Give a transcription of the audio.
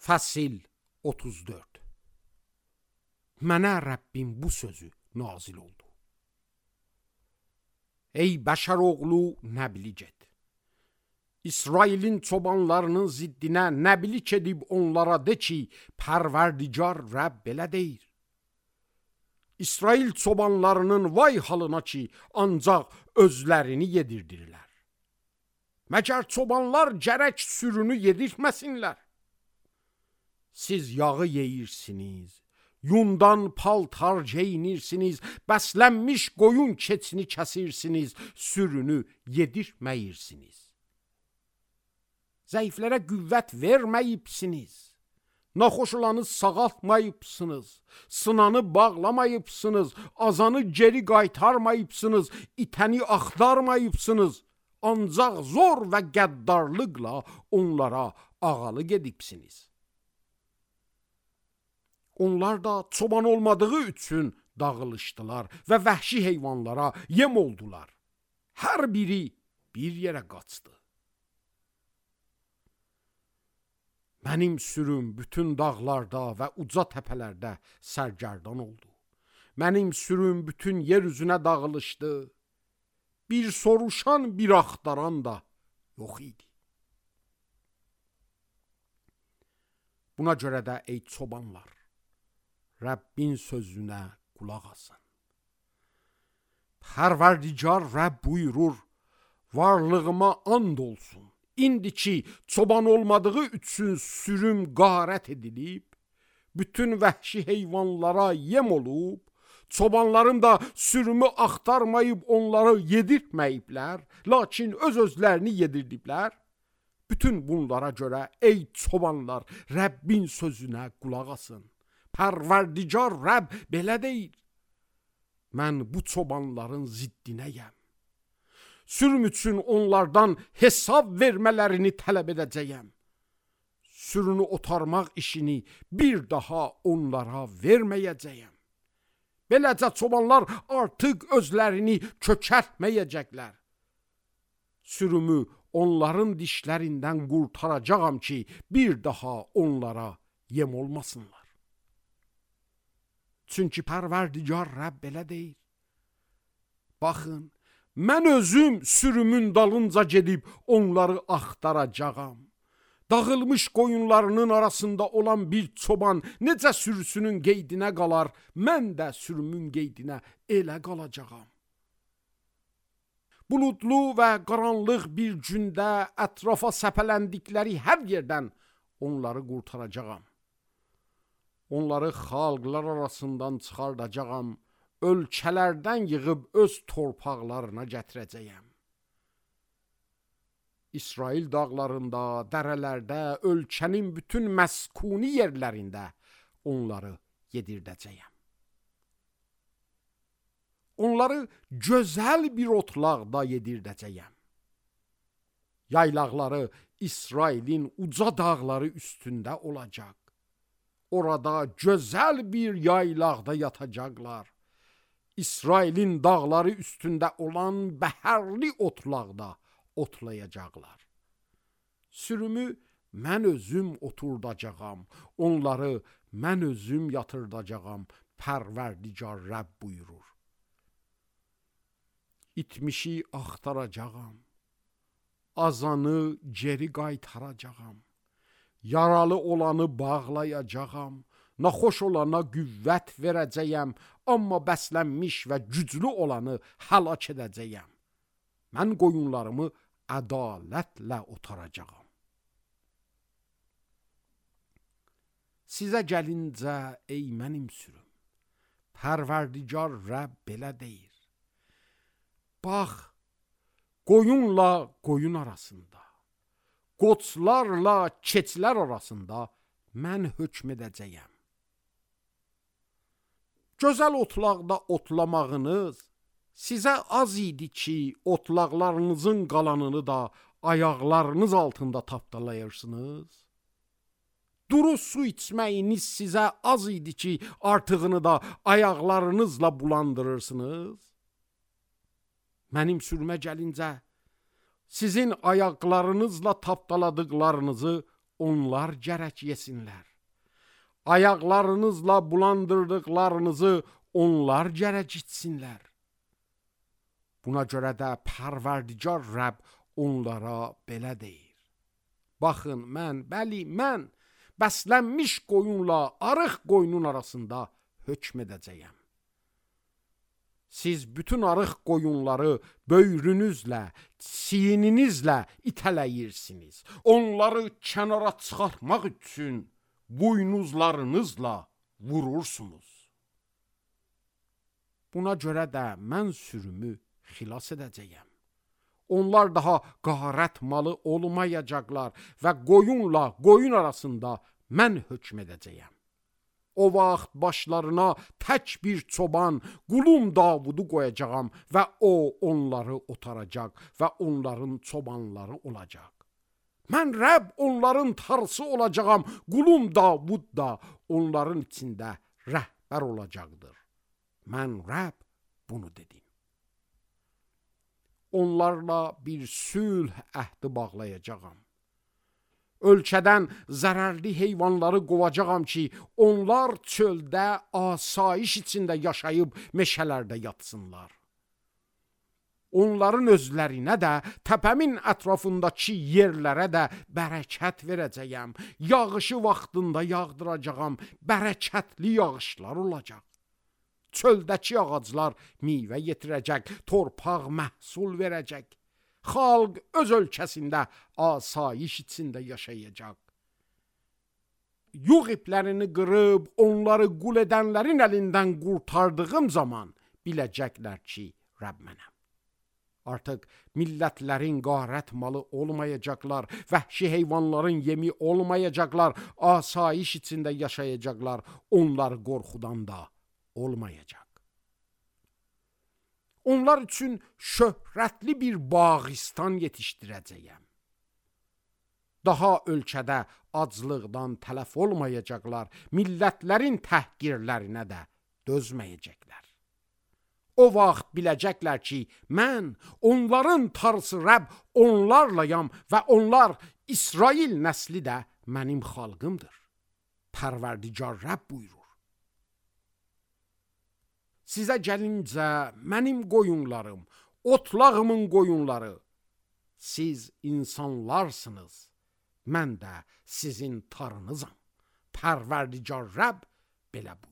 Fəsil 34. Mənə Rəbbim bu sözü nazil oldu. Ey bəşər oğlu, nəbili get. İsrailin çobanlarının ziddinə nəbilik edib onlara de ki, Pərverdigar Rəbb belə deyir. İsrail çobanlarının vay halına ki, ancaq özlərini yedirdirlər. Məgər çobanlar gərək sürünü yedirtməsinlər. Siz yağı yeyirsiniz, yundan paltar geyinirsiniz, bəslənmiş qoyun keçini kəsirsiniz, sürünü yedirtməyirsiniz. Zəiflərə qüvvət verməyibsiniz, naxoş olanı sağaltmayıbsınız, sınanı bağlamayıbsınız, azanı geri qaytarmayıbsınız, itəni axtarmayıbsınız, ancaq zor və qəddarlıqla onlara ağalıq edibsiniz. Onlar da çoban olmadığı üçün dağılışdılar və vəhşi heyvanlara yem oldular. Hər biri bir yerə qaçdı. Mənim sürüm bütün dağlarda və uca təpələrdə sərgərdan oldu. Mənim sürüm bütün yer üzünə dağılışdı. Bir soruşan, bir axtaran da yox idi. Buna görə də ey çobanlar, Rəbbin sözünə qulaq asın. Pərverdigar Rəbb buyurur, varlığıma and olsun. İndi ki, çoban olmadığı üçün sürüm qarət edilib, bütün vəhşi heyvanlara yem olub, çobanlarım da sürümü axtarmayıb onları yedirtməyiblər, lakin öz-özlərini yedirdiblər. Bütün bunlara görə ey çobanlar, Rəbbin sözünə qulaq asın. Pərverdigar Rəbb belə deyir. Mən bu çobanların ziddinəyəm. Sürüm üçün onlardan hesab vermələrini tələb edəcəyəm. Sürünü otarmaq işini bir daha onlara verməyəcəyəm. Beləcə çobanlar artıq özlərini kökəltməyəcəklər. Sürümü onların dişlərindən qurtaracağam ki, bir daha onlara yem olmasınlar. Çünki Pərverdigar Rəbb belə deyir. Baxın, mən özüm sürümün dalınca gedib onları axtaracağam. Dağılmış qoyunlarının arasında olan bir çoban necə sürüsünün qeydinə qalar, mən də sürümün qeydinə elə qalacağam. Buludlu və qaranlıq bir gündə ətrafa səpələndikləri hər yerdən onları qurtaracağam. Onları xalqlar arasından çıxardacağam, ölkələrdən yığıb öz torpaqlarına gətirəcəyəm. İsrail dağlarında, dərələrdə, ölkənin bütün məskuni yerlərində onları yedirdəcəyəm. Onları gözəl bir otlaqda yedirdəcəyəm. Yaylaqları İsrailin uca dağları üstündə olacaq. Orada gözəl bir yaylaqda yatacaqlar. İsrailin dağları üstündə olan bəhərli otlaqda otlayacaqlar. Sürümü mən özüm oturdacağam, onları mən özüm yatırdacağam, Pərverdigar Rəbb buyurur. İtmişi axtaracağam, azanı geri qaytaracağam, yaralı olanı bağlayacağam, naxoş olana qüvvət verəcəyəm, amma bəslənmiş və güclü olanı həlak edəcəyəm. Mən qoyunlarımı ədalətlə otaracağam. Sizə gəlincə, ey mənim sürüm, Pərverdigar Rəbb belə deyir. Bax, qoyunla qoyun arasında, qoçlarla keçilər arasında mən hökm edəcəyəm. Gözəl otlaqda otlamağınız sizə az idi ki, otlaqlarınızın qalanını da ayaqlarınız altında tapdalayırsınız. Duru su içməyiniz sizə az idi ki, artığını da ayaqlarınızla bulandırırsınız. Mənim sürümə gəlincə, sizin ayaqlarınızla tapdaladıqlarınızı onlar gərək yesinlər. Ayaqlarınızla bulandırdıqlarınızı onlar gərək içsinlər. Buna görə də Pərverdigar Rəbb onlara belə deyir. Baxın, mən bəslənmiş qoyunla arıq qoyunun arasında hökm edəcəyəm. Siz bütün arıq qoyunları böyrünüzlə, çiyninizlə itələyirsiniz. Onları kənara çıxartmaq üçün buynuzlarınızla vurursunuz. Buna görə də mən sürümü xilas edəcəyəm. Onlar daha qarət malı olmayacaqlar və qoyunla qoyun arasında mən hökm edəcəyəm. O vaxt başlarına tək bir çoban, qulum Davudu qoyacağam və o onları otaracaq və onların çobanları olacaq. Mən Rəbb onların tarısı olacağam, qulum Davud da onların içində rəhbər olacaqdır. Mən Rəbb bunu dedim. Onlarla bir sülh əhdi bağlayacağam. Ölkədən zərərli heyvanları qovacağam ki, onlar çöldə asayiş içində yaşayıb meşələrdə yatsınlar. Onların özlərinə də, təpəmin ətrafındakı yerlərə də bərəkət verəcəyəm. Yağışı vaxtında yağdıracağam, bərəkətli yağışlar olacaq. Çöldəki ağaclar meyvə yetirəcək, torpaq məhsul verəcək. Xalq öz ölkəsində asayiş içində yaşayacaq. Yuğ iplərini qırıb, onları qul edənlərin əlindən qurtardığım zaman biləcəklər ki, Rəbb mənəm. Artıq millətlərin qarət malı olmayacaqlar, vəhşi heyvanların yemi olmayacaqlar, asayiş içində yaşayacaqlar, onlar qorxudan da olmayacaq. Onlar üçün şöhrətli bir bağistan yetişdirəcəyəm. Daha ölkədə aclıqdan tələf olmayacaqlar, millətlərin təhqirlərinə də dözməyəcəklər. O vaxt biləcəklər ki, mən onların tarısı Rəbb onlarlayam və onlar İsrail nəsli də mənim xalqımdır. Pərverdigar Rəbb buyurur. Sizə gəlincə mənim qoyunlarım, otlağımın qoyunları, siz insanlarsınız, mən də sizin tarınızam. Pərverdigar Rəbb belə buyurur.